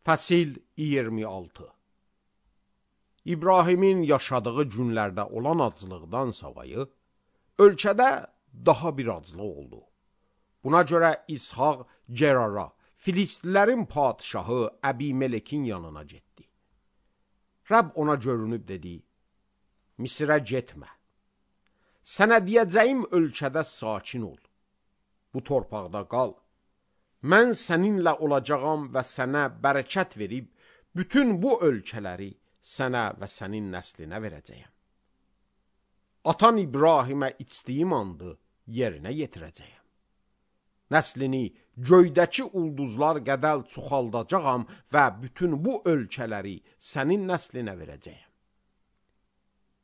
Fəsil 26. İbrahimin yaşadığı günlərdə olan acılıqdan savayı, ölkədə daha bir acılıq oldu. Buna görə İshaq Gerara, Filistlilərin padişahı Əbimelekin yanına getdi. Rəbb ona görünüb dedi, Misirə getmə. Sənə deyəcəyim ölkədə sakin ol. Bu torpaqda qal. Mən səninlə olacağam və sənə bərəkət verib, bütün bu ölkələri sənə və sənin nəslinə verəcəyəm. Atan İbrahimə içdiyim andı yerinə yetirəcəyəm. Nəslini göydəki ulduzlar qədər çoxaldacağam və bütün bu ölkələri sənin nəslinə verəcəyəm.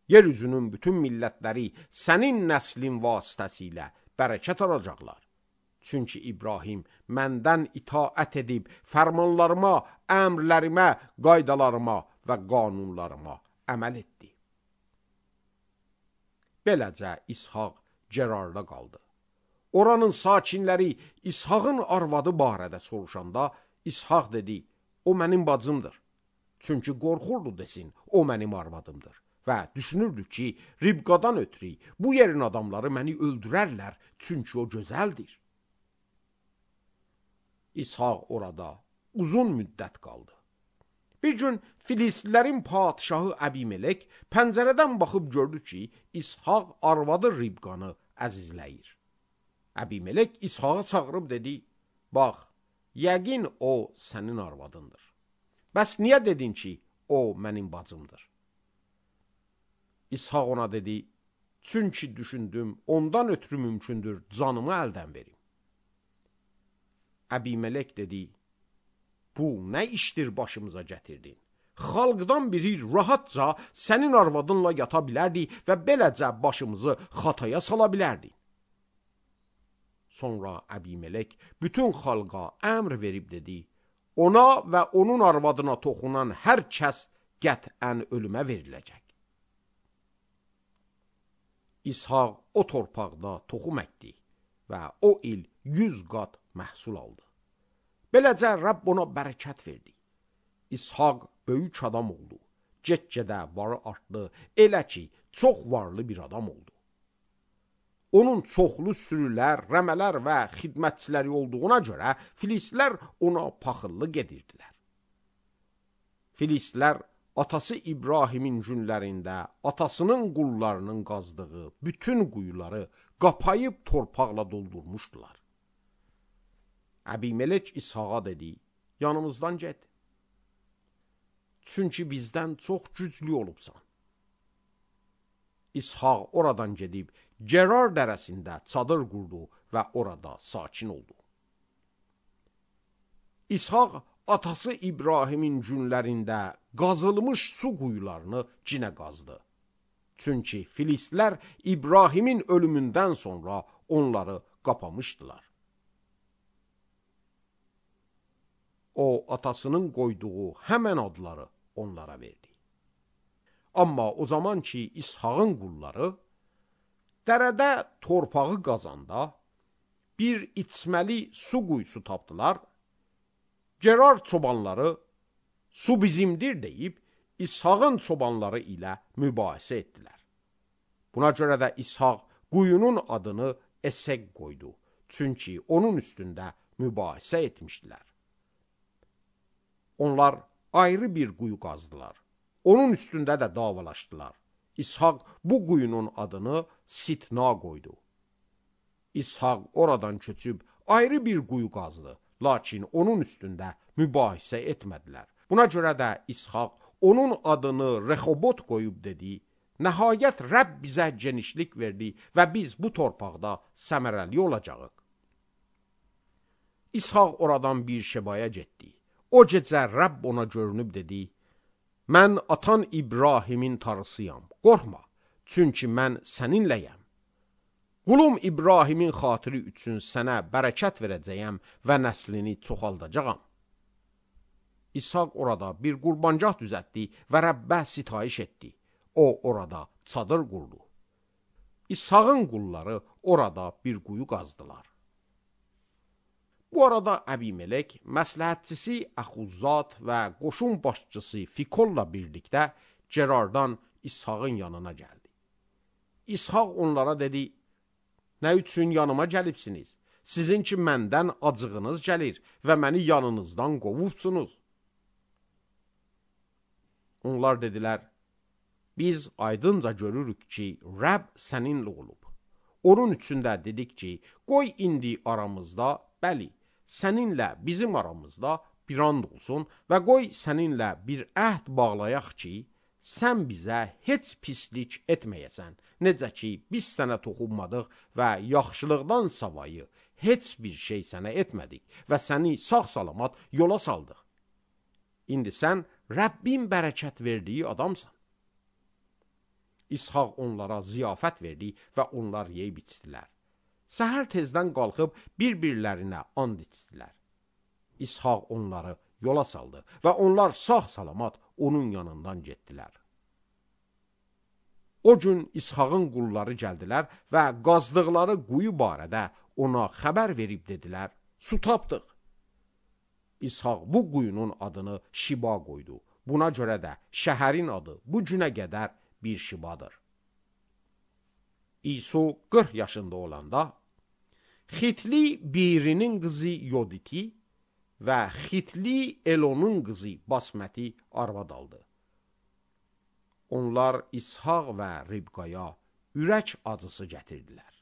Yeryüzünün bütün millətləri sənin nəslin vasitəsilə bərəkət alacaqlar. Çünki İbrahim məndən itaət edib, fərmanlarıma, əmrlərimə, qaydalarıma və qanunlarıma əməl etdi. Beləcə İshaq Gerarda qaldı. Oranın sakinləri İshaqın arvadı barədə soruşanda, İshaq dedi, o mənim bacımdır. Çünki qorxurdu desin, o mənim arvadımdır. Və düşünürdü ki, Ribqadan ötürü bu yerin adamları məni öldürərlər, çünki o gözəldir. İshaq orada uzun müddət qaldı. Bir gün Filistlilərin padişahı Əbimelek pəncərədən baxıb gördü ki, İshaq arvadı Ribqanı əzizləyir. Əbimelek İshağı çağırıb dedi, bax, yəqin o sənin arvadındır. Bəs niyə dedin ki, o mənim bacımdır? İshaq ona dedi, çünki düşündüm, ondan ötürü mümkündür canımı əldən verim. Əbimelek dedi, bu nə işdir başımıza gətirdin? Xalqdan biri rahatca sənin arvadınla yata bilərdi və beləcə başımızı xataya sala bilərdi. Sonra Əbimelek bütün xalqa əmr verib dedi, ona və onun arvadına toxunan hər kəs qətən ölümə veriləcək. İshaq o torpaqda toxum əkdi və o il 100 qat məhsul aldı. Beləcə Rəbb ona bərəkət verdi. İshaq böyük adam oldu. Get-gedə varı artdı, elə ki, çox varlı bir adam oldu. Onun çoxlu sürülər, rəmələr və xidmətçiləri olduğuna görə Filistlilər ona paxıllıq edirdilər. Filistlilər atası İbrahimin günlərində atasının qullarının qazdığı bütün quyuları qapayıb torpaqla doldurmuşdular. Əbimelek İshaqa dedi, yanımızdan get. Çünki bizdən çox güclü olubsan. İshaq oradan gedib Gerar dərəsində çadır qurdu və orada sakin oldu. İshaq atası İbrahimin günlərində qazılmış su quyularını cinə qazdı. Çünki Filistlilər İbrahimin ölümündən sonra onları qapamışdılar. O, atasının qoyduğu həmən adları onlara verdi. Amma o zaman ki, İshaqın qulları dərədə torpağı qazanda bir içməli su quyusu tapdılar. Gerar çobanları su bizimdir deyib İshaqın çobanları ilə mübahisə etdilər. Buna görə də İshaq quyunun adını Esek qoydu. Çünki onun üstündə mübahisə etmişdilər. Onlar ayrı bir quyu qazdılar. Onun üstündə də davalaşdılar. İshaq bu quyunun adını Sitna qoydu. İshaq oradan köçüb ayrı bir quyu qazdı. Lakin onun üstündə mübahisə etmədilər. Buna görə də İshaq onun adını Rehobot qoyub dedi, nəhayət Rəbb bizə genişlik verdi və biz bu torpaqda səmərəli olacağıq. İshaq oradan bir şebaya getdi. O gecə Rəbb ona görünüb dedi, mən atan İbrahimin tarısıyam, qorxma, çünki mən səninləyəm. Qulum İbrahimin xatiri üçün sənə bərəkət verəcəyəm və nəslini çoxaldacağam. İshaq orada bir qurbancaq düzəltdi və Rəbbə sitayiş etdi. O orada çadır qurdu. İshaqın qulları orada bir quyu qazdılar. Bu arada Əbimelek, məsləhətçisi Əxuzzat və qoşun başçısı Fikolla birlikdə Cerardan İshaqın yanına gəldi. İshaq onlara dedi, nə üçün yanıma gəlibsiniz? Sizin ki məndən acığınız gəlir və məni yanınızdan qovubsunuz. Onlar dedilər, biz aydınca görürük ki, Rəbb səninlə olub. Onun üçün də dedik ki, qoy indi aramızda, bəli, səninlə bizim aramızda bir and olsun və qoy səninlə bir əhd bağlayaq ki, sən bizə heç pislik etməyəsən, necə ki, biz sənə toxunmadıq və yaxşılıqdan savayı heç bir şey sənə etmədik və səni sağ-salamat yola saldıq. İndi sən Rəbbin bərəkət verdiyi adamsan. İshaq onlara ziyafət verdi və onlar yeyib içdilər. Səhər tezdən qalxıb bir-birlərinə and içdilər. İshaq onları yola saldı və onlar sağ-salamat onun yanından getdilər. O gün İshaqın qulları gəldilər və qazdıqları quyu barədə ona xəbər verib dedilər, su tapdıq. İshaq bu quyunun adını Şiba qoydu. Buna görə də şəhərin adı bu günə qədər bir Şibadır. İso 40 yaşında olanda Xitli Birinin qızı Yoditi və Xitli Elonun qızı Basməti arvad aldı. Onlar İshaq və Ribqaya ürək acısı gətirdilər.